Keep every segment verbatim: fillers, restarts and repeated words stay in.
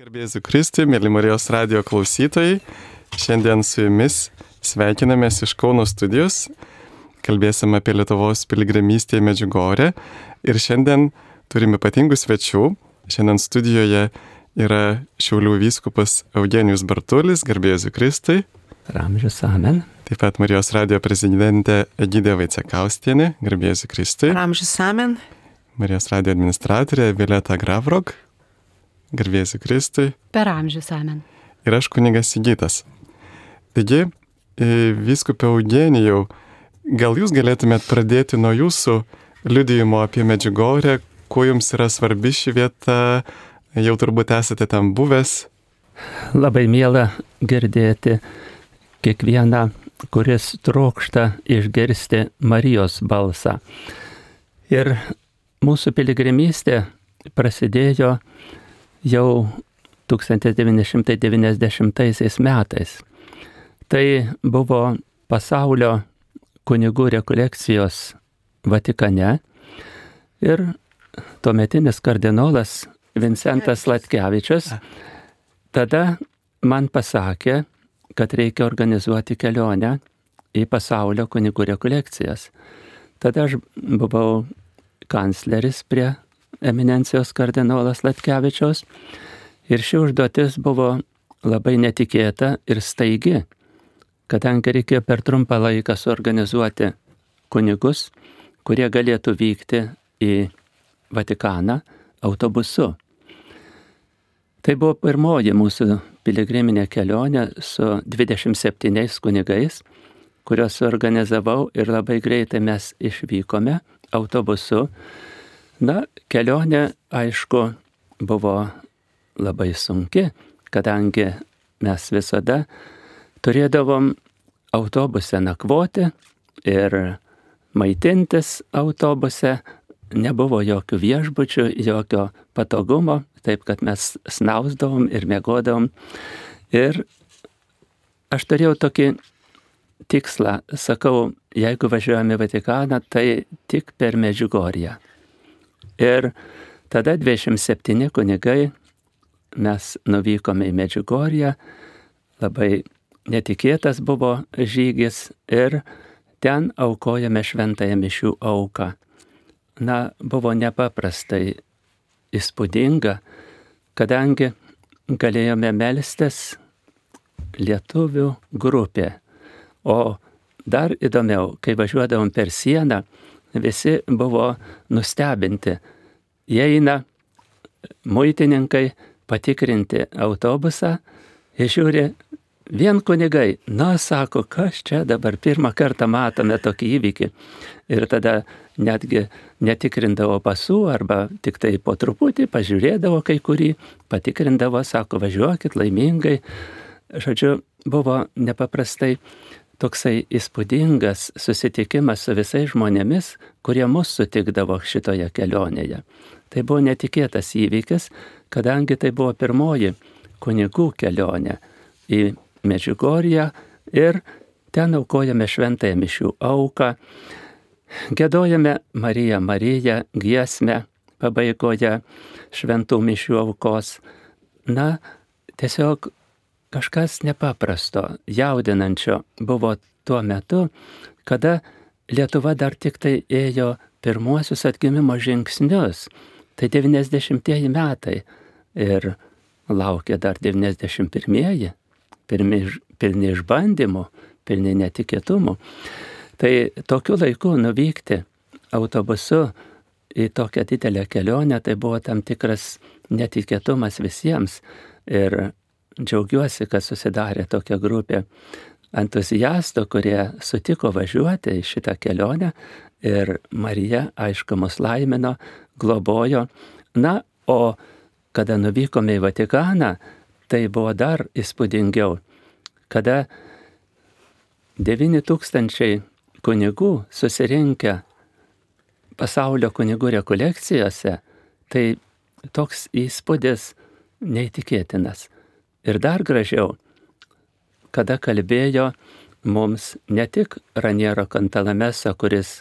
Garbėsiu Kristui, mėly Marijos radijo klausytojai. Šiandien su jumis sveikinamės iš Kauno studijos. Kalbėsim apie Lietuvos piligrimystę į Medžiugorję. Ir šiandien turime ypatingų svečių. Šiandien studijoje yra Šiaulių vyskupas Eugenijus Bartulis. Garbėsiu Kristui. Ramžius amen. Taip pat Marijos radijo prezidentė Egidija Vaicekauskienė. Garbėsiu Kristui. Ramžius amen. Marijos radijo administratorė Violeta Gravrok. Garbėsiu Kristui. Per amžius amen. Ir aš kunigas Sigitas. Taigi, vyskupė Eugenijau, gal jūs galėtumėt pradėti nuo jūsų liudijimo apie Medžiugorję, kuo jums yra svarbi ši vieta, jau turbūt esate ten buvęs. Labai miela girdėti kiekvieną, kuris trokšta išgirsti Marijos balsą. Ir mūsų piligrimystė prasidėjo jau tūkstantis devyni šimtai devyniasdešimtaisiais metais. Tai buvo pasaulio kunigų rekolekcijos Vatikane ir tuometinis kardinolas Vincentas Sladkevičius tada man pasakė, kad reikia organizuoti kelionę į pasaulio kunigų rekolekcijas. Tada aš buvau kancleris prie eminencijos kardinolas Sladkevičiaus ir ši užduotis buvo labai netikėta ir staigi, kadangi reikėjo per trumpą laiką suorganizuoti kunigus, kurie galėtų vykti į Vatikaną autobusu. Tai buvo pirmoji mūsų piligriminė kelionė su dvidešimt septyniais kunigais, kuriuos suorganizavau ir labai greitai mes išvykome autobusu. Na, kelionė, aišku, buvo labai sunki, kadangi mes visada turėdavom autobuse nakvoti ir maitintis autobuse, nebuvo jokių viešbučių, jokio patogumo, taip kad mes snausdavom ir miegodavom. Ir aš turėjau tokį tikslą, sakau, jeigu važiuojame į Vatikaną, tai tik per Medžiugorję. Ir tada dvidešimt septyni kunigai mes nuvykome į Medžiugorję, labai netikėtas buvo žygis ir ten aukojame šventąją mišių auką. Na, buvo nepaprastai įspūdinga, kadangi galėjome melstis lietuvių grupė. O dar įdomiau, kai važiuodavom per sieną, visi buvo nustebinti. Jie eina muitininkai patikrinti autobusą ir žiūri, vien kunigai, na, sako, kas čia dabar pirmą kartą matome tokį įvykį. Ir tada netgi netikrindavo pasų arba tik tai po truputį pažiūrėdavo kai kurį, patikrindavo, sako, važiuokit laimingai. Žodžiu, buvo nepaprastai toksai įspūdingas susitikimas su visais žmonėmis, kurie mus sutikdavo šitoje kelionėje. Tai buvo netikėtas įvykis, kadangi tai buvo pirmoji kunigų kelionė į Medžiugorję ir ten aukojame šventąją mišių auką, giedojame Marija Marija giesmę pabaigoje šventų mišių aukos. Na, tiesiog kažkas nepaprasto, jaudinančio buvo tuo metu, kada Lietuva dar tik tai ėjo pirmuosius atgimimo žingsnius. Tai devyniasdešimtieji metai ir laukia dar devyniasdešimt pirmieji, pirmi, pilni išbandymų, pilni netikėtumų. Tai tokiu laiku nuvykti autobusu į tokią didelę kelionę, tai buvo tam tikras netikėtumas visiems. Ir džiaugiuosi, kad susidarė tokia grupė entuziastų, kurie sutiko važiuoti į šitą kelionę ir Marija, aišku, mus laimino, globojo. Na, o kada nuvykome į Vatikaną, tai buvo dar įspūdingiau, kada devyni tūkstančiai kunigų susirinkę pasaulio kunigų rekolekcijose, tai toks įspūdis neįtikėtinas. Ir dar gražiau, kada kalbėjo mums ne tik Raniero Cantalamessa, kuris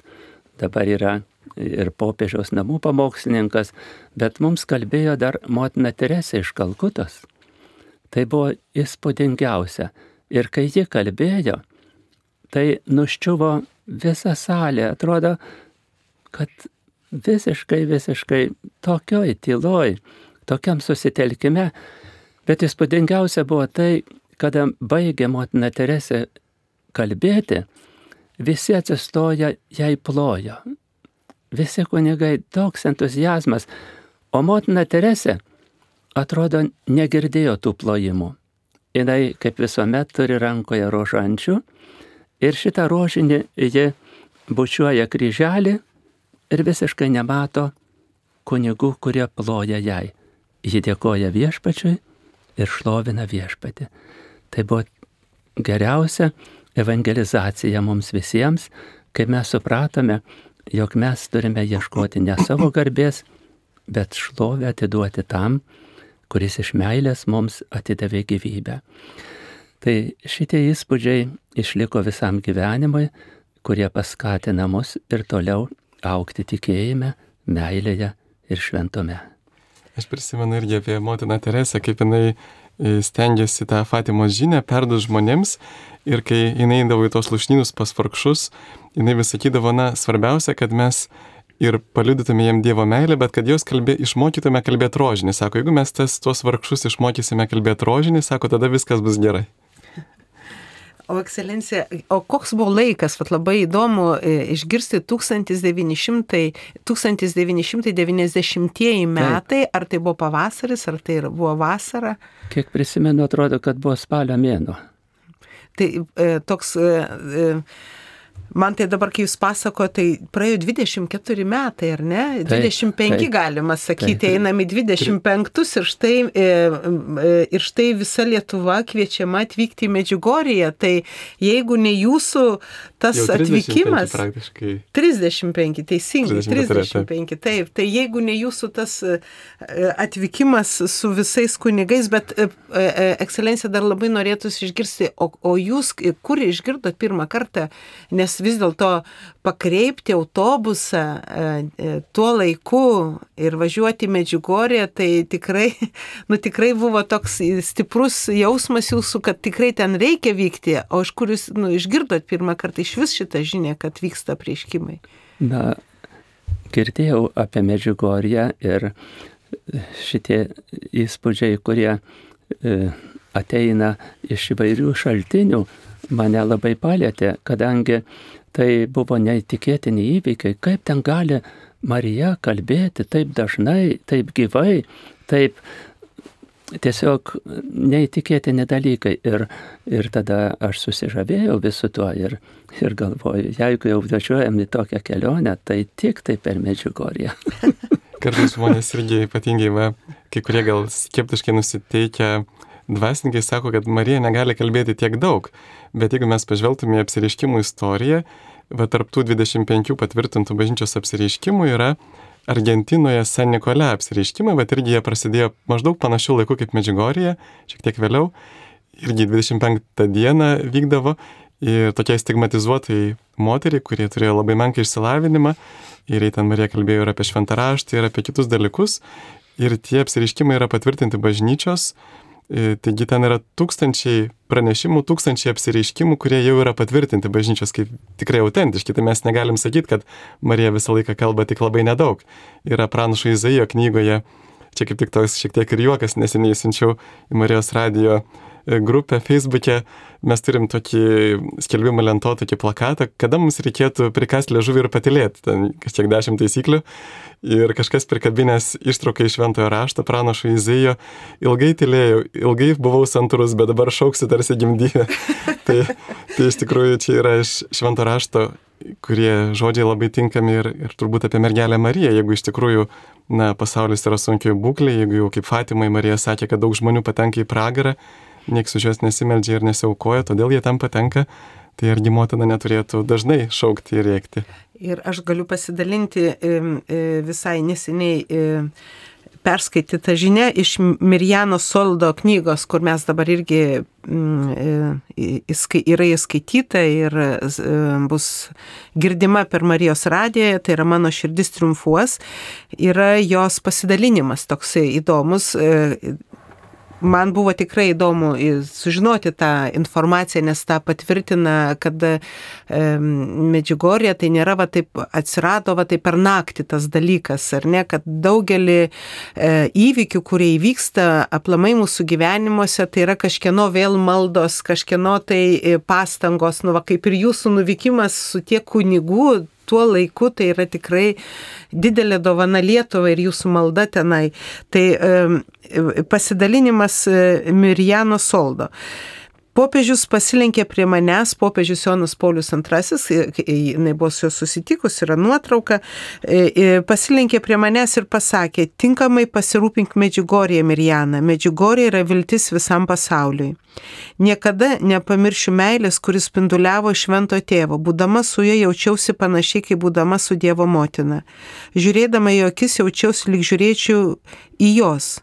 dabar yra ir popiežiaus namų pamokslininkas, bet mums kalbėjo dar motina Teresė iš Kalkutos. Tai buvo įspūdingiausia. Ir kai ji kalbėjo, tai nuščiuvo visa salė. Atrodo, kad visiškai, visiškai tokioj tyloj, tokiam susitelkime. Bet įspūdingiausia buvo tai, kada baigė motina Teresė kalbėti, visi atsistoja, jai plojo. Visi kunigai, toks entuzijazmas. O motina Teresė, atrodo, negirdėjo tų plojimų. Jinai, kaip visuomet, turi rankoje rožančių ir šitą rožinį ji bučiuoja kryželį ir visiškai nemato kunigų, kurie ploja jai. Ji dėkoja viešpačiui ir šlovina viešpatį. Tai buvo geriausia evangelizacija mums visiems, kai mes supratome, jog mes turime ieškoti ne savo garbės, bet šlovę atiduoti tam, kuris iš meilės mums atidavė gyvybę. Tai šitie įspūdžiai išliko visam gyvenimui, kurie paskatina mus ir toliau augti tikėjime, meilėje ir šventume. Aš prisimenu irgi apie motiną Teresę, kaip jinai stengiasi tą Fatimos žinią perduoti žmonėms ir kai jinai eidavo į tos lūšnynus pas vargšus, jinai vis sakydavo, na, svarbiausia, kad mes ir paliudytume jiem Dievo meilę, bet kad jos kalbė, išmokytume kalbėti rožinį. Sako, jeigu mes tas, tuos vargšus išmokysime kalbėti rožinį, sako, tada viskas bus gerai. O ekscelencija, o koks buvo laikas, vat labai įdomu išgirsti tūkstantis devyni šimtai devyniasdešimtieji metai, ar tai buvo pavasaris, ar tai buvo vasara? Kiek prisimenu, atrodo, kad buvo spalio mėnuo. Tai e, toks... E, Man tai dabar, kai jūs pasako, tai praėjo dvidešimt keturi metai, ar ne? dvidešimt penki taip, galima sakyti, taip. Einam į dvidešimt penktus ir štai, ir štai visa Lietuva kviečiama atvykti į Medžiugorję. Tai jeigu ne jūsų tas atvykimas... Praktiškai. trisdešimt penki, teisingai, trisdešimt penki, taip. Tai jeigu ne jūsų tas atvykimas su visais kunigais, bet ekscelencija dar labai norėtųsi išgirsti, o, o jūs kur išgirdot pirmą kartą, nes vis dėlto pakreipti autobusą e, tuo laiku ir važiuoti į Medžiugorję, tai tikrai, nu, tikrai buvo toks stiprus jausmas jūsų, kad tikrai ten reikia vykti, o iš kur jūs nu, išgirdot pirmą kartą iš vis šitą žinią, kad vyksta apreiškimai? Na, girdėjau apie Medžiugorję ir šitie įspūdžiai, kurie e, ateina iš įvairių šaltinių, mane labai palėtė, kadangi tai buvo neįtikėtini įvykiai, kaip ten gali Marija kalbėti taip dažnai, taip gyvai, taip tiesiog neįtikėtini dalykai. Ir, ir tada aš susižavėjau visu tuo ir, ir galvoju, jeigu jau važiuojam į tokią kelionę, tai tik tai per Medžiugorję. Kartais žmonės irgi ypatingai, va, kai kurie gal skeptiškai nusiteikę, dvasininkai sako, kad Marija negali kalbėti tiek daug, bet jeigu mes pažvelgtume į apsireiškimų istoriją, va tarp tų dvidešimt penkių patvirtintų bažnyčios apsireiškimų yra Argentinoje San Nikolė apsireiškimai, bet irgi jie prasidėjo maždaug panašių laikų kaip Medžiugorėje, šiek tiek vėliau, irgi dvidešimt penktą dieną vykdavo ir tokiai stigmatizuotai moteriai, kurie turėjo labai menką išsilavinimą, ir ten Marija kalbėjo ir apie šventą raštą, ir apie kitus dalykus, ir tie apsireiškimai yra patvirtinti bažnyčios. Taigi ten yra tūkstančiai pranešimų, tūkstančiai apsireiškimų, kurie jau yra patvirtinti bažnyčios kaip tikrai autentiški. Tai mes negalim sakyti, kad Marija visą laiką kalba tik labai nedaug. Yra pranašo Izaijo knygoje, čia kaip tik toks šiek tiek ir juokas, neseniai siunčiau į Marijos radijo grupę Facebook'e, mes turim tokį skelbimą lento, tokį plakatą, kada mums reikėtų prikasti liežuvį ir patylėti, ten kažkiek dešimt taisyklių. Ir kažkas prikabinės ištrauką iš šventojo rašto, pranašo Izaijo, ilgai tylėjau, ilgai buvau santūrus, bet dabar šauksiu tarsi gimdyvę. tai, tai iš tikrųjų čia yra iš švento rašto, kurie žodžiai labai tinkami ir, ir turbūt apie mergelę Mariją, jeigu iš tikrųjų na, pasaulis yra sunkioje būklėje, jeigu jau kaip Fatimai Marija sakė, kad daug žmonių patenka į pragarą, nieks už juos nesimeldžia ir nesiaukoja, todėl jie tam patenka, tai argi motina neturėtų dažnai šaukti ir rėkti. Ir aš galiu pasidalinti visai neseniai perskaityta žinia iš Mirjano Soldo knygos, kur mes dabar irgi mm, yra įskaityta ir bus girdima per Marijos radiją, tai yra Mano širdis triumfuos, yra jos pasidalinimas toksai įdomus. Man buvo tikrai įdomu sužinoti tą informaciją, nes tą patvirtina, kad e, Medžiugorje tai nėra va taip atsirado va taip per naktį tas dalykas, ar ne, kad daugelį e, įvykių, kurie įvyksta aplamai mūsų gyvenimuose, tai yra kažkieno vėl maldos, kažkieno tai pastangos, nu va kaip ir jūsų nuvykimas su tiek kunigų, tuo laiku tai yra tikrai didelė dovana Lietuvai ir jūsų malda tenai. Tai e, pasidalinimas Mirjano Soldo. Popiežius pasilenkė prie manęs, popiežius Jonas Paulius antrasis, jinai buvo su juo susitikus, yra nuotrauka, pasilenkė prie manęs ir pasakė, tinkamai pasirūpink Medžiugorje, Mirjana, Medžiugorje yra viltis visam pasauliui. Niekada nepamiršiu meilės, kuris spinduliavo švento tėvo, būdama su juo jaučiausi panašiai, kaip būdama su Dievo motina. Žiūrėdama į jo akis jaučiausi, lyg žiūrėčiau į jos.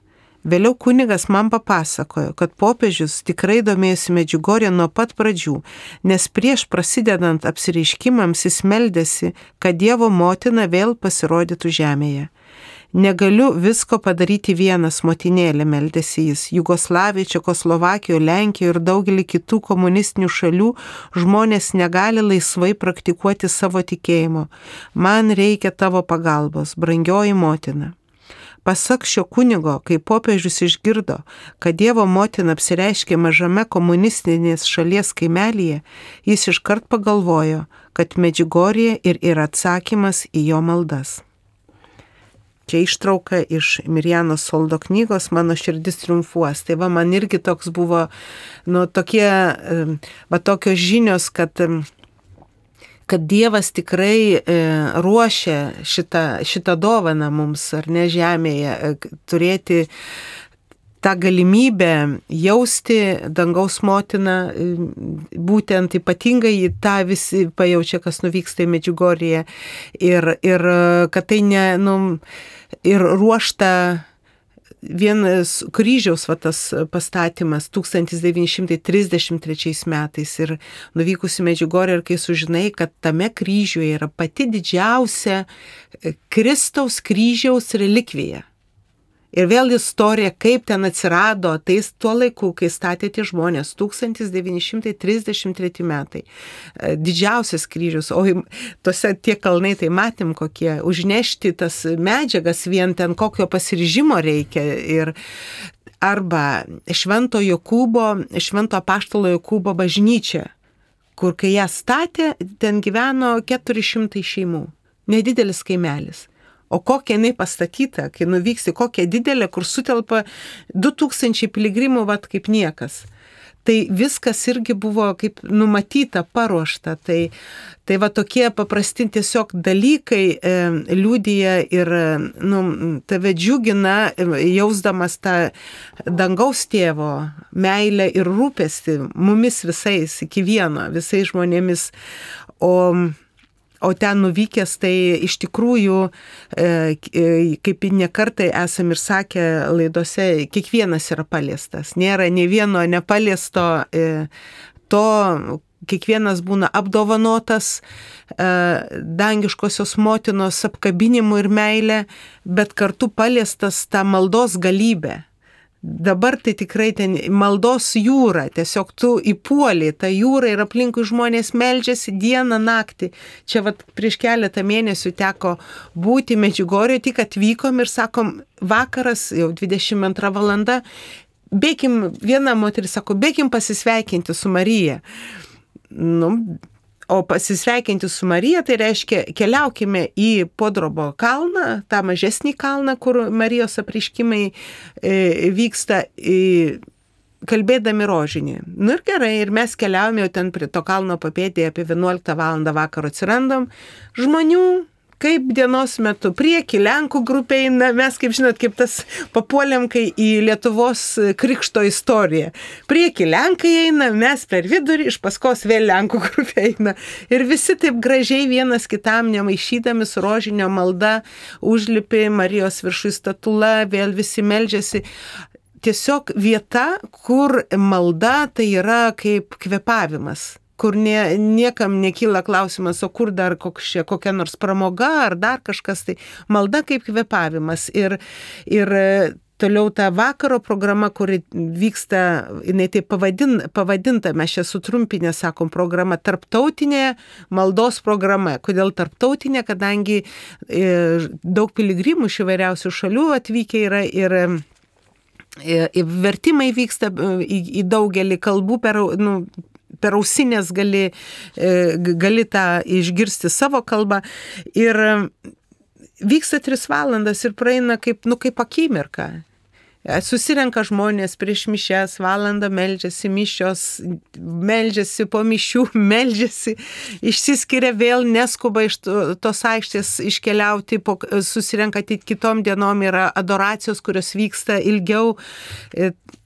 Vėliau kunigas man papasakojo, kad popiežius tikrai domėjosi Medžiugorje nuo pat pradžių, nes prieš prasidedant apsireiškimams jis meldėsi, kad Dievo motina vėl pasirodytų žemėje. Negaliu visko padaryti vienas, motinėlė, meldėsi jis. Jugoslavijoje, Čekoslovakijoje, Lenkijoje ir daugelį kitų komunistinių šalių žmonės negali laisvai praktikuoti savo tikėjimo. Man reikia tavo pagalbos, brangioji motina. Pasak šio kunigo, kai popiežius išgirdo, kad Dievo motina apsireiškė mažame komunistinės šalies kaimelyje, jis iškart pagalvojo, kad Medžiugorje ir yra atsakymas į jo maldas. Čia ištrauka iš Mirjano Soldo knygos Mano širdis triumfuos. Tai va, man irgi toks buvo, nu, tokie, va, tokios žinios, kad kad Dievas tikrai e, ruošia šitą, šitą dovaną mums, ar ne, žemėje, turėti tą galimybę jausti dangaus motiną, būtent ypatingai tą visi pajaučia, kas nuvyksta į Medžiugorje, ir, ir kad tai ne, nu, ir ruošta vienas kryžiaus va, tas pastatymas tūkstantis devyni šimtai trisdešimt trečiais metais ir nuvykus į Medžiugorję ir kai sužinai, kad tame kryžiuje yra pati didžiausia Kristaus kryžiaus relikvija. Ir vėl istorija, kaip ten atsirado, tai tuo laiku, kai statė tie žmonės, tūkstantis devyni šimtai trisdešimt treti metai. Didžiausias kryžius, o tose tie kalnai tai matėm kokie, užnešti tas medžiagas vien ten kokio pasiryžimo reikia. Ir arba Švento Jokūbo, Švento apaštalo Jokūbo bažnyčia, kur kai ją statė, ten gyveno keturi šimtai šeimų, nedidelis kaimelis. O kokia jinai pastatyta, kai nuvyksi, kokia didelė, kur sutelpa du tūkstančiai piligrimų, vat kaip niekas. Tai viskas irgi buvo kaip numatyta, paruošta. Tai, tai va tokie paprasti tiesiog dalykai e, liudija ir nu, tave džiugina, jausdamas tą dangaus tėvo meilę ir rūpestį mumis visais, iki vieno, visais žmonėmis. O O ten nuvykęs, tai iš tikrųjų, kaip nekartai esam ir sakę laidose, kiekvienas yra paliestas. Nėra nei vieno nepaliesto, to kiekvienas būna apdovanotas dangiškosios motinos apkabinimu ir meilė, bet kartu paliestas tą maldos galybę. Dabar tai tikrai ten maldos jūra, tiesiog tu įpuoli tą jūrą ir aplinkui žmonės meldžiasi dieną, naktį. Čia vat prieš keletą mėnesių teko būti Medžiugorje, tik atvykom ir sakom, vakaras, jau dvidešimt antra valanda, bėkim, viena moteris sako, bėkim pasisveikinti su Marija. Nu, o pasisveikinti su Marija, tai reiškia, keliaukime į Podrobo kalną, tą mažesnį kalną, kur Marijos apreiškimai e, vyksta, e, kalbėdami rožinį. Nu ir gerai, ir mes keliaujame jau ten prie to kalno papėdėje, apie vienuoliktą valandą vakaro atsirandam, žmonių kaip dienos metu. Prieki Lenkų grupė eina, mes kaip žinot, kaip tas papuolėm, kai į Lietuvos krikšto istoriją. Prieki Lenkai eina, mes per vidurį, iš paskos vėl Lenkų grupė eina. Ir visi taip gražiai vienas kitam nemaišydami su rožinio malda užlipi Marijos viršui statula, vėl visi meldžiasi. Tiesiog vieta, kur malda tai yra kaip kvėpavimas, kur nie, niekam nekyla klausimas, o kur dar kokia, kokia nors pramoga ar dar kažkas, tai malda kaip kvėpavimas. Ir, ir toliau ta vakaro programa, kuri vyksta, jinai taip pavadin, pavadinta, mes čia sutrumpinę sakom, programa, tarptautinė maldos programa. Kodėl tarptautinė? Kadangi e, daug piligrimų iš įvairiausių šalių atvykę yra ir vertimai vyksta į, į daugelį kalbų, per, nu, per ausinės gali, gali tą išgirsti savo kalbą. Ir vyksta tris valandas ir praeina kaip, nu, kaip akimirka. Susirenka žmonės prieš mišias, valandą meldžiasi, mišios, meldžiasi po mišių, meldžiasi, išsiskiria vėl, neskuba iš tos aikštės iškeliauti, po, susirenka kitom dienom, yra adoracijos, kurios vyksta ilgiau.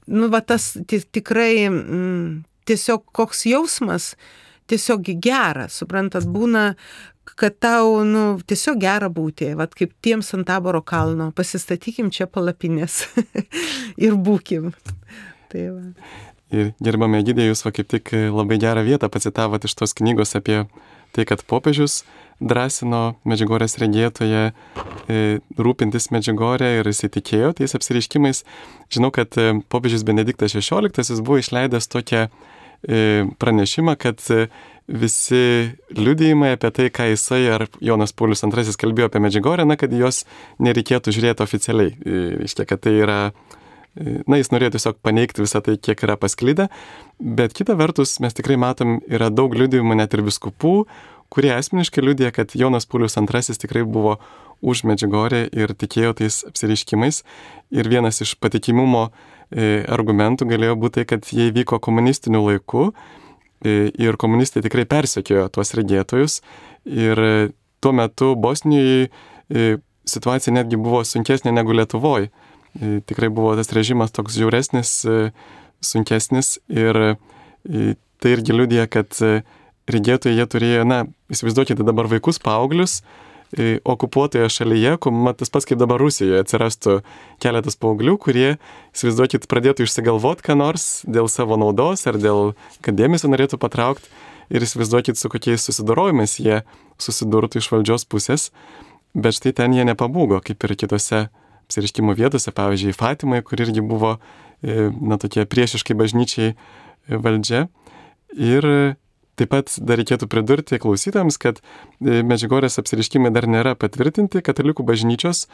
Nu, va tas tikrai m, tiesiog koks jausmas, tiesiog gera, suprantat, būna, kad tau, nu, tiesiog gera būti, vat kaip tiems ant Taboro kalno, pasistatykim čia palapinės ir būkim. Tai va. Ir gerbame Egidija, jūs va kaip tik labai gerą vietą pacitavot iš tos knygos apie tai, kad popiežius drąsino Medžiugorės regėtoje e, rūpintis Medžiugorė ir jis įtikėjo tais apsireiškimais. Žinau, kad e, popiežius Benediktas šešioliktasis buvo išleidęs tokią e, pranešimą, kad e, visi liudijimai apie tai, ką jisai ar Jonas Paulius antrasis kalbėjo apie Medžiugorę, na, kad jos nereikėtų žiūrėti oficialiai. Reiškia, kad tai yra, na, jis norėjo tiesiog paneigti visą tai, kiek yra pasklidę, bet kita vertus mes tikrai matom, yra daug liudijimų net ir viskupų, kurie asmeniškai liudija, kad Jonas Paulius antrasis tikrai buvo už Medžiugorę ir tikėjo tais apsireiškimais. Ir vienas iš patikimumo e, argumentų galėjo būti tai, kad jie vyko komunistiniu laiku, ir komunistai tikrai persekiojo tuos regėtojus ir tuo metu Bosnijoje situacija netgi buvo sunkesnė negu Lietuvoje. Tikrai buvo tas režimas toks žiauresnis, sunkesnis ir tai irgi liudija, kad regėtojai jie turėjo, na, įsivaizduokite dabar vaikus, paauglius, okupuotoje šalyje, tas pats kaip dabar Rusijoje atsirastų keletas paauglių, kurie, įsivaizduokit, pradėtų išsigalvoti ką nors dėl savo naudos ar dėl, kad dėmesio norėtų patraukti ir įsivaizduokit, su kokiais susidorojimais jie susidurtų iš valdžios pusės, bet štai ten jie nepabūgo, kaip ir kitose apsireiškimo vietose, pavyzdžiui, Fatimai, kur irgi buvo, na, tokie priešiškai bažnyčiai valdžia. Ir taip pat dar reikėtų pridurti klausytams, kad Medžiugorės apsireiškimai dar nėra patvirtinti katalikų bažnyčios,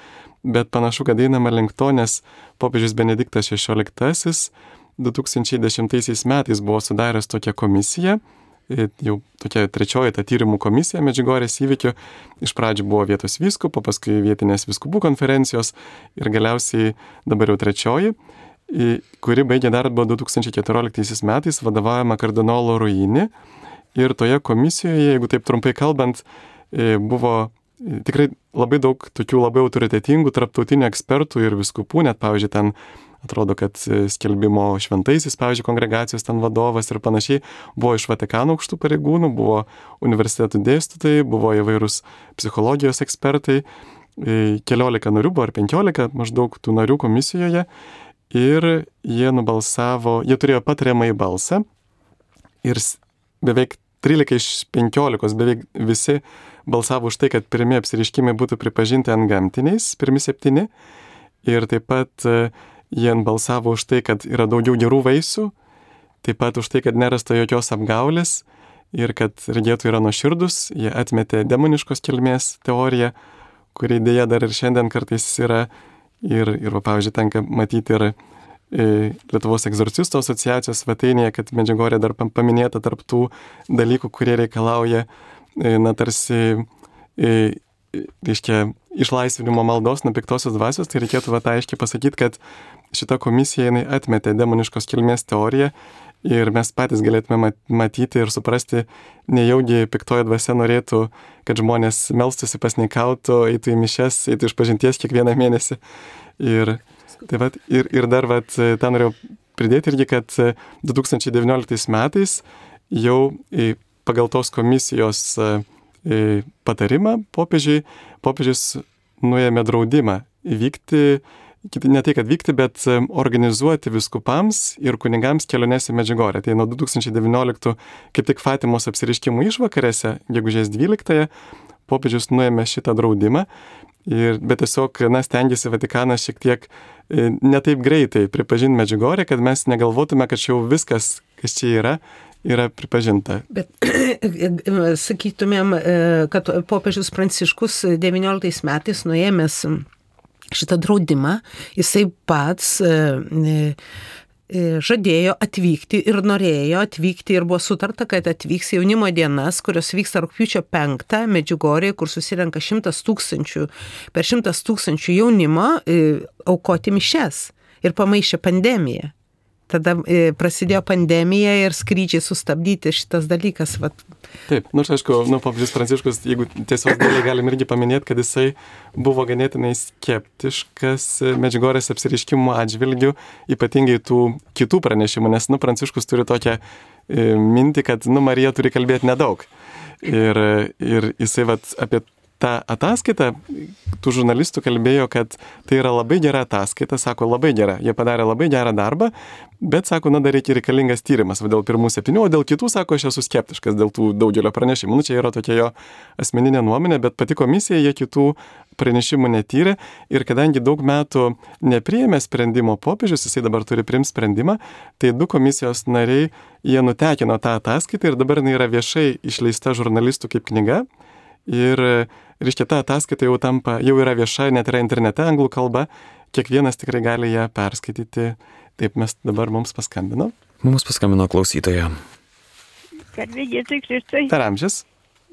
bet panašu, kad einama link to, nes popiežius Benediktas šešioliktasis du tūkstančiai dešimtaisiais metais buvo sudaręs tokią komisiją, jau tokia trečioji ta tyrimų komisija Medžiugorės įvykių. Iš pradžių buvo vietos vyskupo, paskui vietinės vyskupų konferencijos ir galiausiai dabar jau trečioji, kuri baigė darbą du tūkstančiai keturioliktaisiais metais, vadovaujama kardinolo Ruini. Ir toje komisijoje, jeigu taip trumpai kalbant, buvo tikrai labai daug tokių labai autoritetingų tarptautinių ekspertų ir viskupų, net, pavyzdžiui, ten atrodo, kad skelbimo šventaisiais, pavyzdžiui, kongregacijos ten vadovas ir panašiai, buvo iš Vatikano aukštų pareigūnų, buvo universitetų dėstytojai, buvo įvairūs psichologijos ekspertai, keliolika narių buvo ar penkiolika maždaug tų narių komisijoje ir jie nubalsavo, jie turėjo patariamąjį balsą ir beveik trylika iš penkiolikos, beveik visi balsavo už tai, kad pirmi apsireiškimai būtų pripažinti antgamtiniais, pirmi septyni. Ir taip pat jie balsavo už tai, kad yra daugiau gerų vaisių, taip pat už tai, kad nerasta jokios apgaulės ir kad regėtojai yra nuoširdus. Jie atmetė demoniškos kilmės teoriją, kuri dėja dar ir šiandien kartais yra. Ir, ir pavyzdžiui, tenka matyti ir Lietuvos egzorcistų asociacijos svetainėje, kad Medžiugorė dar paminėta tarp tų dalykų, kurie reikalauja, na, tarsi, reiškia, išlaisvinimo maldos nuo piktosios dvasios, tai reikėtų va aiškiai pasakyti, kad šita komisija jinai atmetė demoniškos kilmės teoriją ir mes patys galėtume matyti ir suprasti, nejaugi piktoji dvasia norėtų, kad žmonės melstųsi, pasninkautų, eitų į mišias, eitų iš pažinties kiekvieną mėnesį. Ir, tai vat, ir, ir dar vat, tą norėjau pridėti irgi, kad du tūkstančiai devynioliktais metais jau pagal tos komisijos patarimą popiežiui, popiežius nuėmė draudimą vykti, ne tai, kad vykti, bet organizuoti viskupams ir kunigams keliones į Medžiugorję. Tai nuo du tūkstančiai devynioliktų, kaip tik Fatimos apsiriškimų išvakarėse, gegužės dvyliktąją, popiežius nuėmė šitą draudimą, ir, bet tiesiog, na, stengiasi Vatikanas šiek tiek ne taip greitai pripažinti Medžiugorję, kad mes negalvotume, kad jau viskas, kas čia yra, yra pripažinta. Bet sakytumėm, kad popiežius Pranciškus devynioliktais metais nuėmęs šitą draudimą, jisai pats žadėjo atvykti ir norėjo atvykti ir buvo sutarta, kad atvyks jaunimo dienas, kurios vyksta rugpjūčio penktą Medžiugorėje, kur susirenka šimtas tūkstančių, per šimtas tūkstančių jaunimo aukoti mišias ir pamaišė pandemiją. Tada prasidėjo pandemija ir skrydžiai sustabdyti, šitas dalykas. Vat. Taip, nors aišku, nu, popiežius Pranciškus, jeigu tiesiog dėliai galim irgi paminėti, kad jisai buvo ganėtinai skeptiškas Medžiugorės apsireiškimų atžvilgių, ypatingai tų kitų pranešimų, nes, nu, Pranciškus turi tokią e, mintį, kad, nu, Marija turi kalbėti nedaug. Ir, ir jisai vat apie tą ataskaitą, tų žurnalistų kalbėjo, kad tai yra labai gera ataskaita, sako labai gera, jie padarė labai gerą darbą, bet sako, na, dar reikia reikalingas tyrimas, va, dėl pirmų septynių, o dėl kitų, sako, aš esu skeptiškas dėl tų daugelio pranešimų. Nu, čia yra tokia jo asmeninė nuomonė, bet pati komisija jie kitų pranešimų netyrė ir kadangi daug metų nepriėmė sprendimo popiežius, jisai dabar turi priimti sprendimą, tai du komisijos nariai, jie nutekino tą ataskaitą ir dabar jinai yra viešai išleista žurnalistų kaip knyga. Ir, reiškia, ta ataskaita jau tampa, jau yra vieša, net yra internete anglų kalba, kiekvienas tikrai gali ją perskaityti. Taip, mes dabar mums paskambino. Mums paskambino klausytoja. Garbė Jėzui Kristui. Per amžius.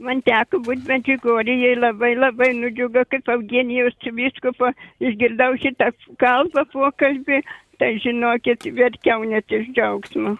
Man teko būti Medžiugorėje, labai labai nudžiugo, kaip Eugenijaus vyskupo išgirdau šitą kalbą pokalbį, tai žinokit, verkiau net iš džiaugsmo.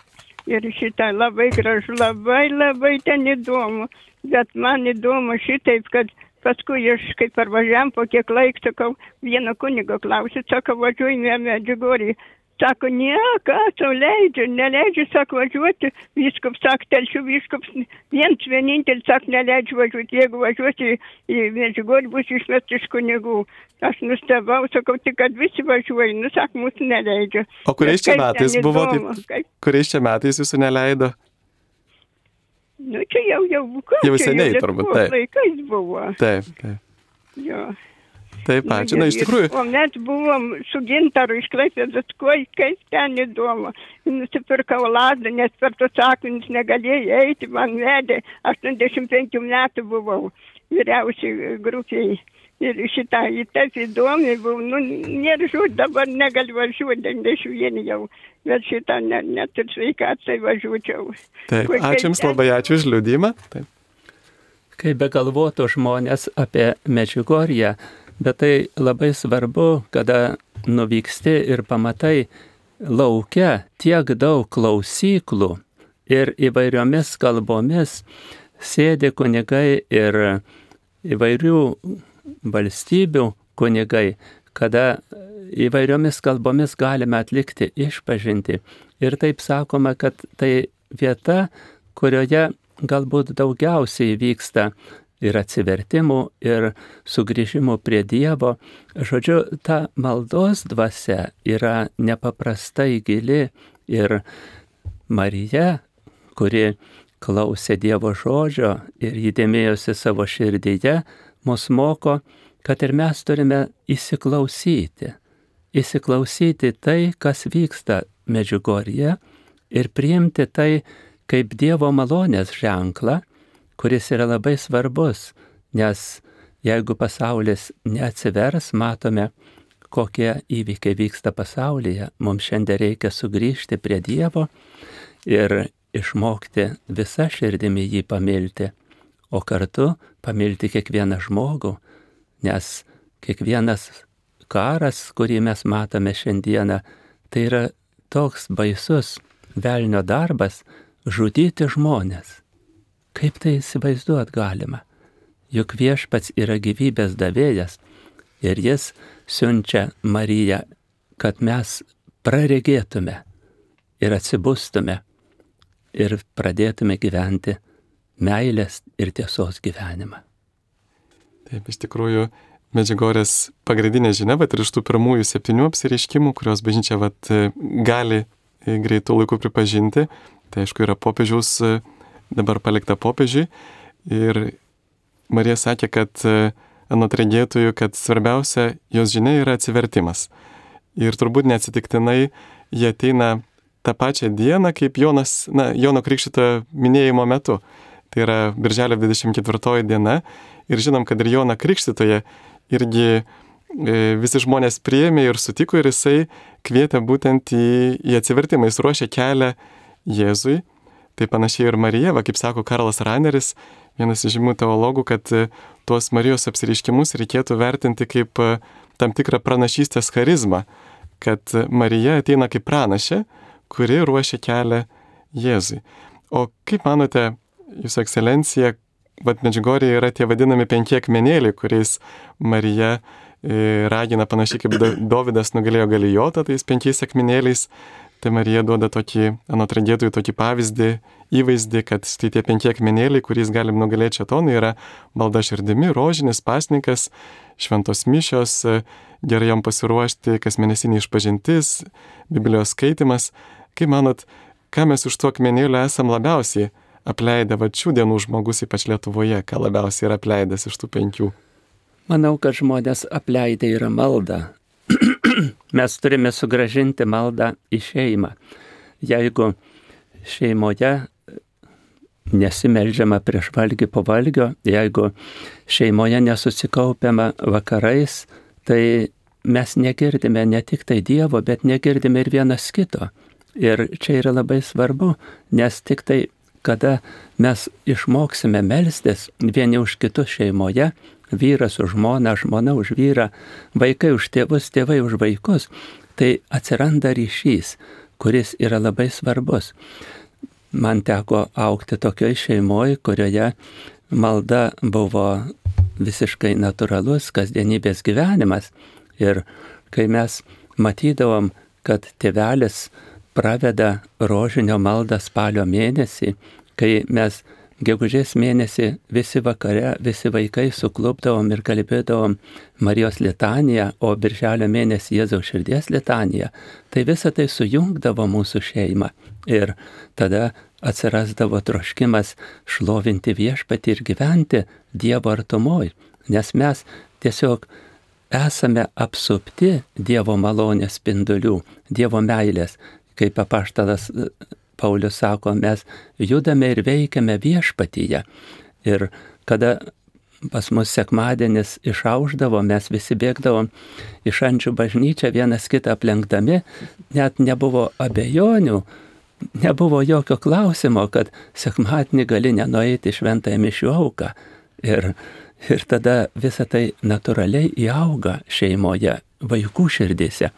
Ir šitą labai gražu, labai labai ten įdomu. Bet man įdomu šitaip, kad paskui aš kaip parvažiavam po kiek laik, sakau, vieno kunigo klausiu, sakau, važiuojame Medžiugorėje. Sako, ne, ką tau leidžia, neleidžia, sako, važiuoti. Vyskups, sako, telšių vyskups, viens vienintelis, sako, neleidžia važiuoti. Jeigu važiuoti į Medžiugorję, bus išmesti iš kunigų. Aš nustebau, sakau, tik kad visi važiuoja, nu, sako, mūsų neleidžia. O kuriais čia metais buvo, taip, kuriais čia metais jūsų neleido? Nu, čia jau jau buvo. Jau seniai, turbūt, taip. Laikais buvo. Taip, taip. Jo. Taip, ačiū. Na, iš tikrųjų. O mes buvom su Gintaru iš Klaipėdos, kaip ten įdomu. Nusipirkau lazdą, nes per tos akmenis negalėjai eiti, man vedė. aštuoniasdešimt penkių metų buvau vyriausiai grupiai. Ir šitą, į taip įdomi buvau. Nu, nėra žūt, dabar negaliu važiuoti, devyniasdešimt vienas jau. Bet šitą net, net ir sveikatai važiuočiau. Taip, ačiū Jums labai, ačiū už liudymą. Taip. Kai begalvotų žmonės apie Medžiugorję, bet tai labai svarbu, kada nuvyksti ir pamatai lauke tiek daug klausyklų ir įvairiomis kalbomis sėdi kunigai ir įvairių valstybių kunigai, kada įvairiomis kalbomis galime atlikti išpažintį. Ir taip sakoma, kad tai vieta, kurioje galbūt daugiausiai vyksta ir atsivertimų, ir sugrįžimų prie Dievo. Žodžiu, ta maldos dvasia yra nepaprastai gili ir Marija, kuri klausė Dievo žodžio ir įdėmėjosi savo širdyje, mus moko, kad ir mes turime įsiklausyti. Įsiklausyti tai, kas vyksta Medžiugorėje ir priimti tai kaip Dievo malonės ženklą, kuris yra labai svarbus, nes jeigu pasaulis neatsivers, matome, kokie įvykiai vyksta pasaulyje, mums šiandien reikia sugrįžti prie Dievo ir išmokti visą širdimi jį pamilti, o kartu pamilti kiekvieną žmogų, nes kiekvienas karas, kurį mes matome šiandieną, tai yra toks baisus velnio darbas žudyti žmonės. Kaip tai įsivaizduot galima? Juk viešpats yra gyvybės davėjas ir jis siunčia Mariją, kad mes praregėtume ir atsibustume ir pradėtume gyventi meilės ir tiesos gyvenimą. Taip, iš tikrųjų, Medžiugorės pagrindinė žinia, bet ir iš tų pirmųjų septynių apsireiškimų, kurios bažnyčia vat, gali greitų laikų pripažinti, tai aišku yra popiežiaus, dabar palikta popiežiui. Ir Marija sakė, kad anot regėtojų, kad svarbiausia jos žinia yra atsivertimas. Ir turbūt neatsitiktinai jie ateina tą pačią dieną, kaip Jonas, na, Jono Krikštytojo minėjimo metu. Tai yra birželio dvidešimt ketvirtoji diena. Ir žinom, kad ir Joną Krikštytoją irgi e, visi žmonės priėmė ir sutiko ir jisai kvietė būtent į, į atsivertimą. Jis ruošė kelią Jėzui. Tai panašiai ir Marija, va, kaip sako Karlas Raneris, vienas iš žymių teologų, kad tuos Marijos apsireiškimus reikėtų vertinti kaip tam tikrą pranašystės charizmą, kad Marija ateina kaip pranašė, kuri ruošia kelią Jėzui. O kaip manote, Jūsų ekscelencija, vat Medžiugorėje yra tie vadinami penki akmenėliai, kuriais Marija e, ragina panašiai kaip Dovydas nugalėjo Galijotą, tais penkiais akmenėliais. Tai Marija duoda tokį, anot regėtojų, tokį pavyzdį, įvaizdį, kad štai tie penki akmenėliai, kuriais galim nugalėti šėtoną, yra malda širdimi, rožinis, pasninkas, šventos mišios, gerai jom pasiruošti, kasmėnesinė išpažintis, Biblijos skaitimas. Kaip manot, ką mes už tų akmenėlių esam labiausiai apleidę, va šių dienų žmogus, ypač Lietuvoje, ką labiausiai yra apleidęs iš tų penkių? Manau, kad žmonės apleidę yra maldą. Mes turime sugrąžinti maldą į šeimą. Jeigu šeimoje nesimeldžiama prieš valgį po valgio, jeigu šeimoje nesusikaupiama vakarais, tai mes negirdime ne tik tai Dievo, bet negirdime ir vienas kito. Ir čia yra labai svarbu, nes tik tai kada mes išmoksime melstis vieni už kitus šeimoje, vyras už žmoną, žmona už vyrą, vaikai už tėvus, tėvai už vaikus, tai atsiranda ryšys, kuris yra labai svarbus. Man teko augti tokioj šeimoje, kurioje malda buvo visiškai natūralus kasdienybės gyvenimas. Ir kai mes matydavom, kad tėvelis praveda rožinio maldą spalio mėnesį, kai mes gegužės mėnesį visi vakare, visi vaikai suklupdavom ir kalbėdavom Marijos litaniją, o birželio mėnesį Jėzaus širdies litaniją, tai visa tai sujungdavo mūsų šeimą. Ir tada atsirasdavo troškimas šlovinti viešpatį ir gyventi Dievo artumoj, nes mes tiesiog esame apsupti Dievo malonės spindulių, Dievo meilės. Kaip apaštalas Paulius sako, mes judame ir veikiame viešpatyje. Ir kada pas mus sekmadienis išaušdavo, mes visi bėgdavom į Šančių bažnyčią vienas kitą aplenkdami, net nebuvo abejonių, nebuvo jokio klausimo, kad sekmadienį gali nenueiti šventąją mišių auką. Ir, ir tada visa tai natūraliai įauga šeimoje, vaikų širdėse.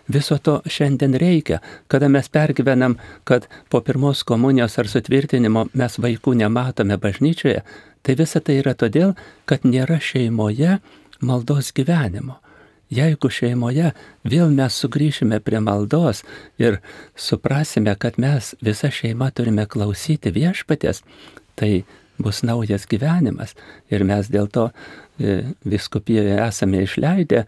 Viso to šiandien reikia, kada mes pergyvenam, kad po pirmos komunijos ar sutvirtinimo mes vaikų nematome bažnyčioje, tai visa tai yra todėl, kad nėra šeimoje maldos gyvenimo. Jeigu šeimoje vėl mes sugrįšime prie maldos ir suprasime, kad mes visa šeima turime klausyti viešpaties, tai bus naujas gyvenimas. Ir mes dėl to vyskupijoje esame išleidę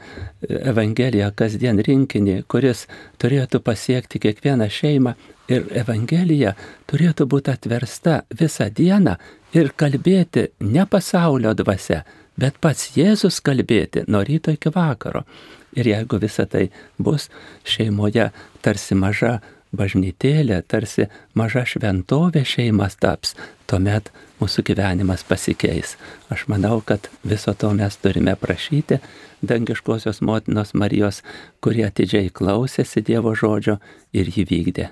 Evangeliją kasdien rinkinį, kuris turėtų pasiekti kiekvieną šeimą. Ir Evangelija turėtų būti atversta visą dieną ir kalbėti ne pasaulio dvasia, bet pats Jėzus kalbėti nuo ryto iki vakaro. Ir jeigu visa tai bus šeimoje tarsi maža bažnytėlė, tarsi maža šventovė šeimas taps, tuomet mūsų gyvenimas pasikeis. Aš manau, kad viso to mes turime prašyti dangiškosios motinos Marijos, kurie atidžiai klausėsi Dievo žodžio ir jį vykdė.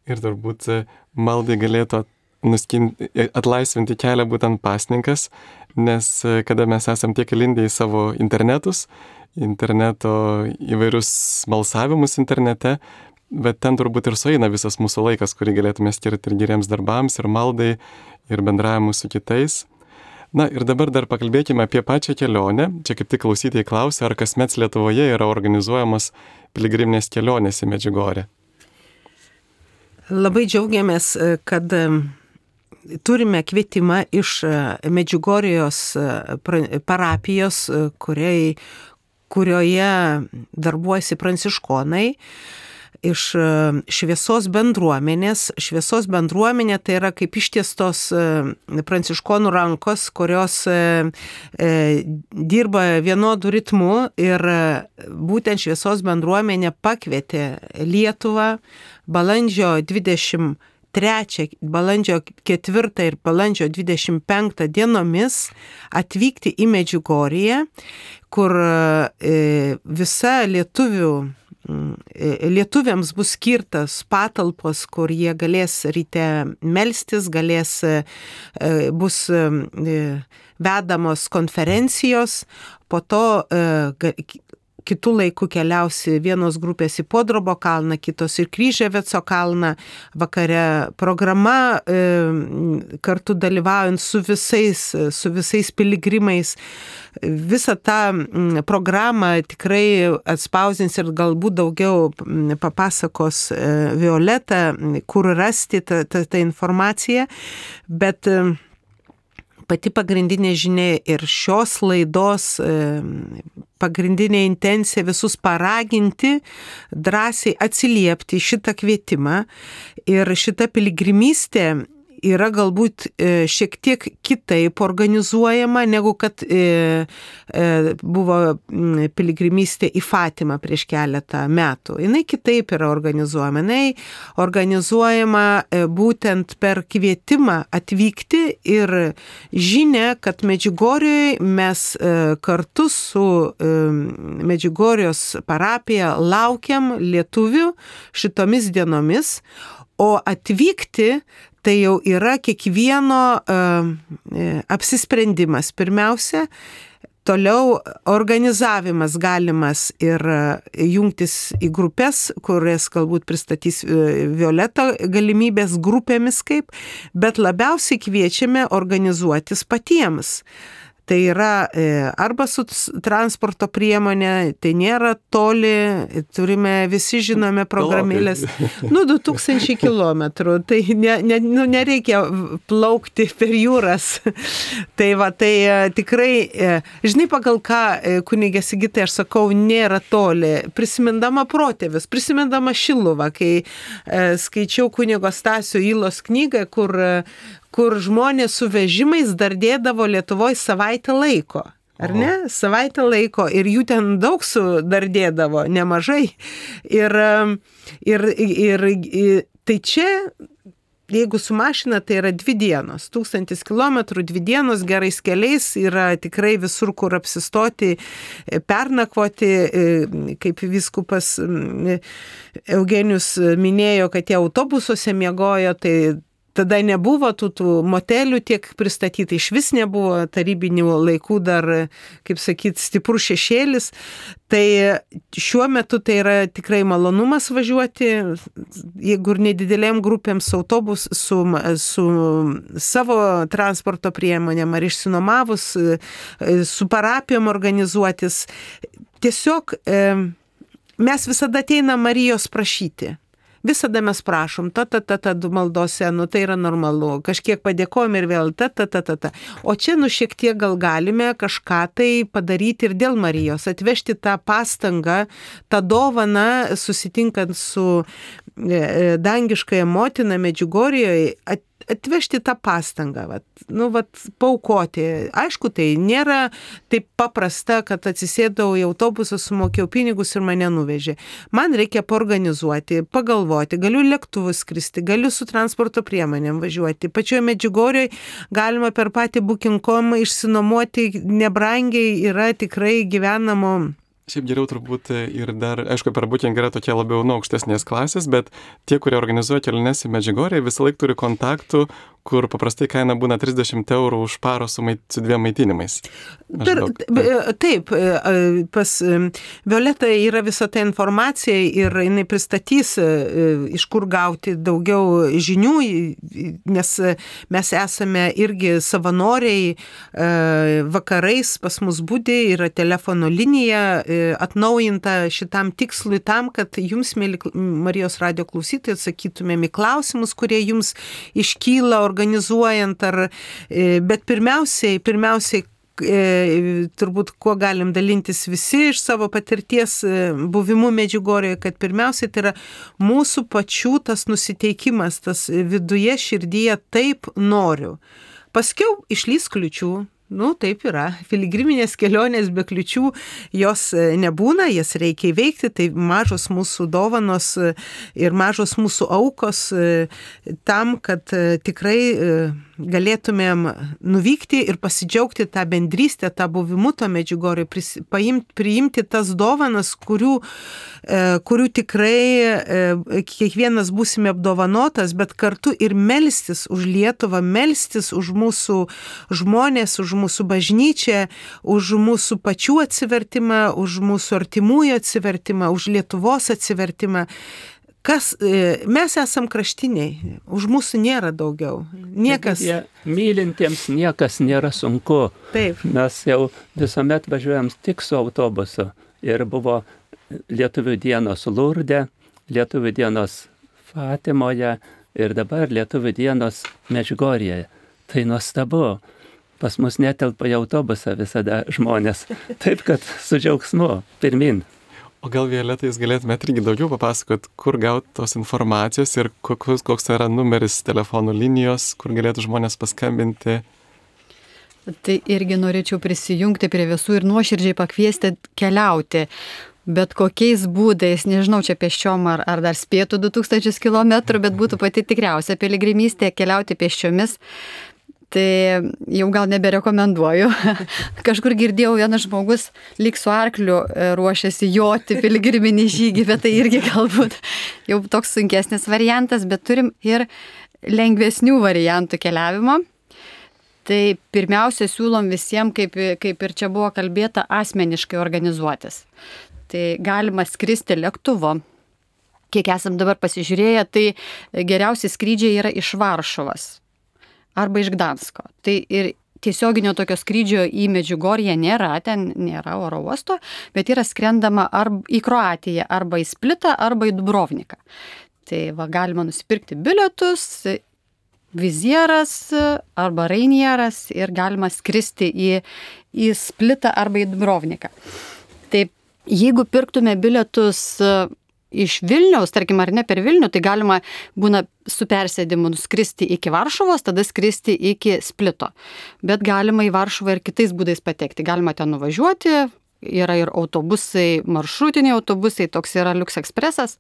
Ir turbūt maldai galėtų nuskinti, atlaisvinti kelią būtent pasninkas, nes kada mes esam tiek įlindę į savo internetus, interneto įvairius smalsavimus internete, bet ten turbūt ir sueina visas mūsų laikas, kurį galėtume skirti ir geriems darbams, ir maldai, ir bendravimui su kitais. Na ir dabar dar pakalbėkime apie pačią kelionę. Čia kaip tik klausytojai klausia, ar kasmet Lietuvoje yra organizuojamos piligriminės kelionės į Medžiugorję. Labai džiaugiamės, kad turime kvietimą iš Medžiugorijos parapijos, kuriai, kurioje darbuojasi pranciškonai, iš šviesos bendruomenės. Šviesos bendruomenė tai yra kaip ištiestos pranciškonų rankos, kurios e, dirba vienodų ritmų, ir būtent šviesos bendruomenė pakvietė Lietuvą balandžio dvidešimt trečią, balandžio ketvirtą ir balandžio dvidešimt penktą dienomis atvykti į Medžiugorję, kur e, visa lietuvių lietuviams bus skirtas patalpos, kur jie galės ryte melstis, galės, bus vedamos konferencijos, po to kitų laikų keliausi vienos grupės į Podrobo kalną, kitos į Kryževeco kalną, vakare programa kartu dalyvaujant su visais, su visais piligrimais. Visą tą programą tikrai atspausdins ir galbūt daugiau papasakos Violeta, kur rasti tą, tą, tą informaciją, bet pati pagrindinė žinia ir šios laidos pagrindinė intencija visus paraginti, drąsiai atsiliepti šitą kvietimą, ir šita piligrimystė yra galbūt šiek tiek kitaip organizuojama, negu kad buvo piligrimystė į Fatimą prieš keletą metų. Jinai kitaip yra organizuojama. Jinai organizuojama būtent per kvietimą atvykti ir žinia, kad Medžiugorjoj mes kartu su Medžiugorijos parapija laukiam lietuvių šitomis dienomis, o atvykti tai jau yra kiekvieno uh, apsisprendimas. Pirmiausia, toliau organizavimas galimas ir jungtis į grupės, kurias galbūt pristatys Violeta galimybės grupėmis kaip, bet labiausiai kviečiame organizuotis patiems. Tai yra arba su transporto priemonė, tai nėra toli, turime, visi žinome programėlės, nu, du tūkstančiai kilometrų, tai ne, ne, nu, nereikia plaukti per jūras. Tai va, tai tikrai, žinai, pagal ką, kunigė Sigitai, aš sakau, nėra toli. Prisimindama protėvius, prisimindama Šiluvą, kai skaičiau kunigo Stasio Ylos knygą, kur kur žmonės su vežimais dar dėdavo Lietuvoje savaitę laiko. Ar ne? Savaitę laiko. Ir jų ten daug sudardėdavo, nemažai. Ir, ir, ir, ir tai čia, jeigu su mašina, tai yra dvi dienos. Tūkstantis kilometrų, dvi dienos gerais keliais, yra tikrai visur, kur apsistoti, pernakvoti, kaip vyskupas Eugenijus minėjo, kad jie autobusuose miegojo, tai tada nebuvo tų, tų motelių tiek pristatyti, iš vis nebuvo tarybinių laikų dar, kaip sakyt, stiprus šešėlis. Tai šiuo metu tai yra tikrai malonumas važiuoti, jeigu ir nedidelėm grupėm su autobus, su, su savo transporto priemonėm ar išsinomavus, su parapijom organizuotis. Tiesiog mes visada ateinam Marijos prašyti. Visada mes prašom, ta, ta, ta, ta, du maldose, nu tai yra normalu, kažkiek padėkojom ir vėl, ta, ta, ta, ta, ta. O čia, nu šiek tiek gal galime kažką tai padaryti ir dėl Marijos, atvežti tą pastangą, tą dovaną, susitinkant su dangiškąja motina Medžiugorjoje, at, atvežti tą pastangą, vat, nu, vat, paaukoti. Aišku, tai nėra taip paprasta, kad atsisėdau į autobusą, sumokėjau pinigus ir mane nuvežė. Man reikia paorganizuoti, pagalvoti, galiu lėktuvu skristi, galiu su transporto priemonėm važiuoti. Pačioje Medžiugorjoje galima per patį booking punkt com išsinuomoti nebrangiai, yra tikrai gyvenamo. Šiaip geriau turbūt ir dar, aišku, per booking yra tokie labiau nuo aukštesnės klasės, bet tie, kurie organizuoja keliones į Medžiugorję, visą laiką turi kontaktų, kur paprastai kaina būna trisdešimt eurų už parą su, mait, su dviem maitinimais. Per, taip, pas Violetą yra visa ta informacija ir jinai pristatys, iš kur gauti daugiau žinių, nes mes esame irgi savanoriai, vakarais pas mus būdi, yra telefono linija atnaujinta šitam tikslui tam, kad jums, mėly Marijos radijo klausytojai, atsakytumėm į klausimus, kurie jums iškyla organizuojant, ar, bet pirmiausiai, pirmiausiai, turbūt, kuo galim dalintis visi iš savo patirties buvimu Medžiugorėje, kad pirmiausiai tai yra mūsų pačių tas nusiteikimas, tas viduje širdyje taip noriu. Paskiau išlys kliučių. Nu, taip yra. Piligriminės kelionės be kliučių jos nebūna, jas reikia įveikti, tai mažos mūsų dovanos ir mažos mūsų aukos tam, kad tikrai galėtumėm nuvykti ir pasidžiaugti tą bendrystę, tą buvimu to Medžiugorėje, priimti tas dovanas, kurių, kurių tikrai kiekvienas būsime apdovanotas, bet kartu ir melstis už Lietuvą, melstis už mūsų žmonės, už mūsų bažnyčią, už mūsų pačių atsivertimą, už mūsų artimųjų atsivertimą, už Lietuvos atsivertimą. Kas, mes esam kraštiniai, už mūsų nėra daugiau. Niekas. Ja, mylintiems niekas nėra sunku. Taip. Mes jau visuomet važiuojam tik su autobusu. Ir buvo Lietuvių dienos Lurde, Lietuvių dienos Fatimoje ir dabar Lietuvių dienos Medžiugorėje. Tai nuostabu. Pas mus netelpa į autobusą visada žmonės. Taip, kad su džiaugsmu pirmin. O gal, Violeta, jūs galėtumėte irgi daugiau papasakot, kur gauti tos informacijos ir koks, koks yra numeris telefonų linijos, kur galėtų žmonės paskambinti? Tai irgi norėčiau prisijungti prie visų ir nuoširdžiai pakviesti keliauti. Bet kokiais būdais, nežinau, čia pėsčiom ar, ar dar spėtų du tūkstančius kilometrų, bet būtų pati tikriausia piligrimystė keliauti pėsčiomis. Tai jau gal neberekomenduoju. Kažkur girdėjau, vienas žmogus lyg su arkliu ruošiasi joti piligriminį žygį, bet tai irgi galbūt jau toks sunkesnis variantas, bet turim ir lengvesnių variantų keliavimo. Tai pirmiausia siūlom visiems, kaip, kaip ir čia buvo kalbėta, asmeniškai organizuotis. Tai galima skristi lėktuvo. Kiek esam dabar pasižiūrėję, tai geriausi skrydžiai yra iš Varšuvos arba iš Gdansko. Tai ir tiesioginio tokio skrydžio į Medžiugorję nėra, ten nėra oro uosto, bet yra skrendama arba į Kroatiją, arba į Splitą, arba į Dubrovniką. Tai va, galima nusipirkti bilietus, Vizieras arba Rainieras ir galima skristi į, į Splitą arba į Dubrovniką. Tai jeigu pirktume bilietus iš Vilniaus, tarkim, ar ne per Vilnių, tai galima būna su persėdimu nuskristi iki Varšuvos, tada skristi iki Splito. Bet galima į Varšuvą ir kitais būdais patekti. Galima ten nuvažiuoti, yra ir autobusai, maršrutiniai autobusai, toks yra Lux Expressas.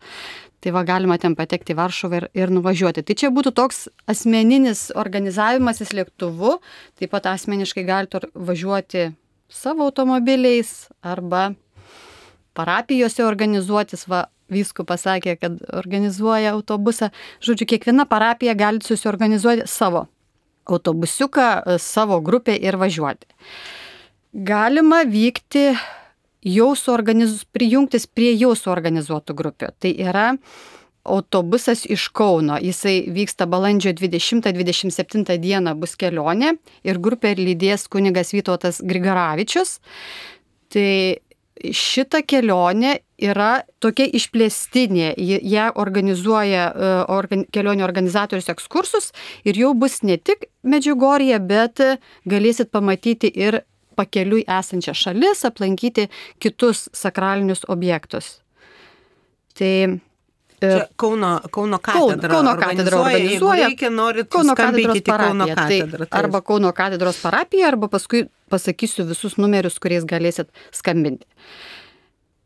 Tai va, galima ten patekti į Varšuvą ir, ir nuvažiuoti. Tai čia būtų toks asmeninis organizavimasis lėktuvu, taip pat asmeniškai galite važiuoti savo automobiliais arba parapijose organizuotis, va, vyskupas sakė, kad organizuoja autobusą. Žodžiu, kiekviena parapija gali susiorganizuoti savo autobusiuką, savo grupę ir važiuoti. Galima vykti jau suorganiz... prijungtis prie jau suorganizuotų grupių. Tai yra autobusas iš Kauno. Jisai vyksta balandžio dvidešimtą dvidešimt septintą dieną bus kelionė ir grupė lydės kunigas Vytautas Grigaravičius. Tai šita kelionė yra tokia išplėstinė, ją organizuoja organ, kelionių organizatorius ekskursus ir jau bus ne tik Medžiugorėje, bet galėsit pamatyti ir pakeliui esančią šalis, aplankyti kitus sakralinius objektus. Tai Čia Kauno, Kauno katedra Kauno katedra organizuoja. Reikia, norit, Kauno katedros Kauno parapija. katedrą. Tai arba Kauno katedros parapija, arba paskui pasakysiu visus numerius, kuriais galėsit skambinti.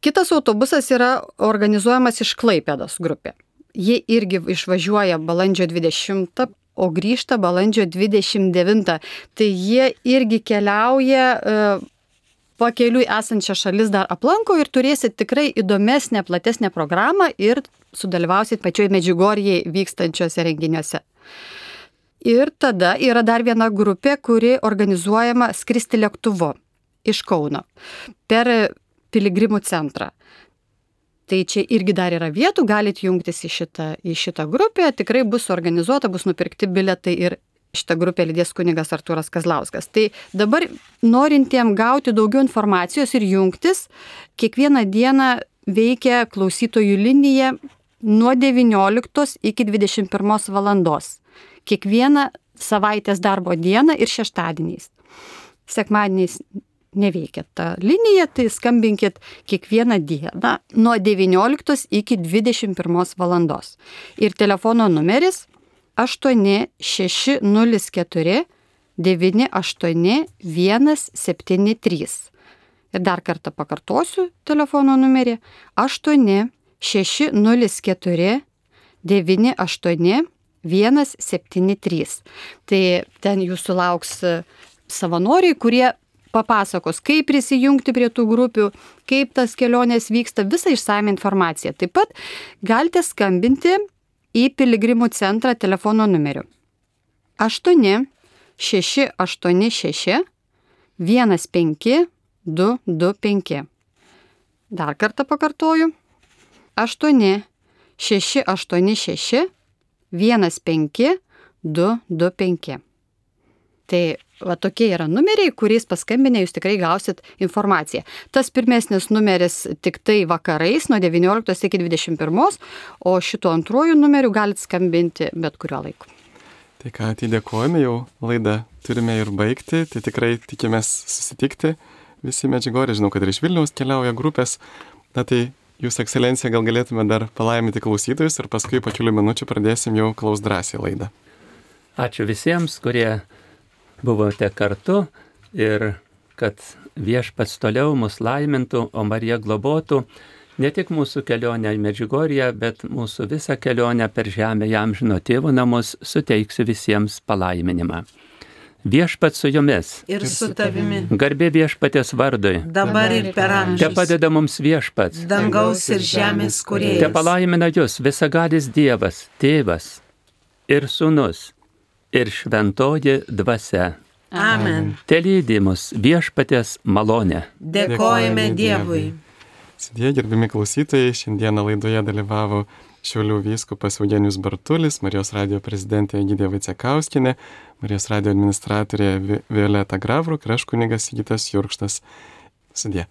Kitas autobusas yra organizuojamas iš Klaipėdos grupė. Jie irgi išvažiuoja balandžio dvidešimtą, o grįžta balandžio dvidešimt devintą. Tai jie irgi keliauja pakeliui esančią šalis dar aplanko ir turėsit tikrai įdomesnę, platesnę programą ir sudalyvausit pačioj Medžiugorjėje vykstančiuose renginiuose. Ir tada yra dar viena grupė, kuri organizuojama skristi lėktuvu iš Kauno per piligrimų centrą. Tai čia irgi dar yra vietų, galite jungtis į šitą, į šitą grupę, tikrai bus organizuota, bus nupirkti biletai ir šitą grupę lydės kunigas Artūras Kazlauskas. Tai dabar norintiem gauti daugiau informacijos ir jungtis, kiekvieną dieną veikia klausytojų linija nuo devynioliktos iki dvidešimt pirmos valandos. Kiekvieną savaitės darbo dieną ir šeštadieniais. Sekmadieniais neveikia ta linija, tai skambinkit kiekvieną dieną nuo devynioliktos iki dvidešimt pirmos valandos. Ir telefono numeris aštuoni šeši nulis keturi devyni aštuoni vienas septyni trys. Ir dar kartą pakartosiu telefono numerį aštuoni šeši nulis keturi devyni aštuoni vienas septyni trys. Tai ten jūsų lauks savanoriai, kurie papasakos, kaip prisijungti prie tų grupių, kaip tas kelionės vyksta, visą išsame informaciją. Taip pat galite skambinti į piligrimų centrą telefono numeriu aštuoni šeši aštuoni šeši vienas penki du du penki. Dar kartą pakartoju. aštuoni šeši aštuoni šeši vienas penki du du penki. Tai va tokie yra numeriai, kuriais paskambinę jūs tikrai gausit informaciją. Tas pirmesnis numeris tik tai vakarais nuo devynioliktos iki dvidešimt pirmos, o šituo antruoju numeriu galit skambinti bet kuriuo laiku. Tai ką, tai dėkojame, jau laidą turime ir baigti, tai tikrai tikimės susitikti visi Medžiugorje, žinau, kad ir iš Vilniaus keliauja grupės. Na tai Jūsų ekscelencija, gal galėtume dar palaiminti klausytojus ir paskui po kelių minučių pradėsim jau Klaus drąsiai laidą. Ačiū visiems, kurie buvote kartu ir kad Viešpats toliau mus laimintų, o Marija globotų ne tik mūsų kelionę į Medžiugorję, bet mūsų visą kelionę per žemę į amžino tėvo namus. Suteiksiu visiems palaiminimą. Viešpats su jumis. Ir su tavimi. Garbė Viešpaties vardui. Dabar ir per amžius. Te padeda mums Viešpats. Dangaus ir žemės kūrėjas. Te palaimina jūs visagalis Dievas, Tėvas ir Sūnus ir Šventoji Dvasia. Amen. Te lydi mus Viešpaties malonė. Dėkojame Dievui. Sudie, gerbimi klausytojai, šiandieną laidoje dalyvavo Šiaulių vyskupas Eugenijus Bartulis, Marijos radijo prezidentė Egidija Vaicekauskienė, Marijos radijo administratorė Violeta Gravruk ir aš kunigas Sigitas Jurkštas. Sudie.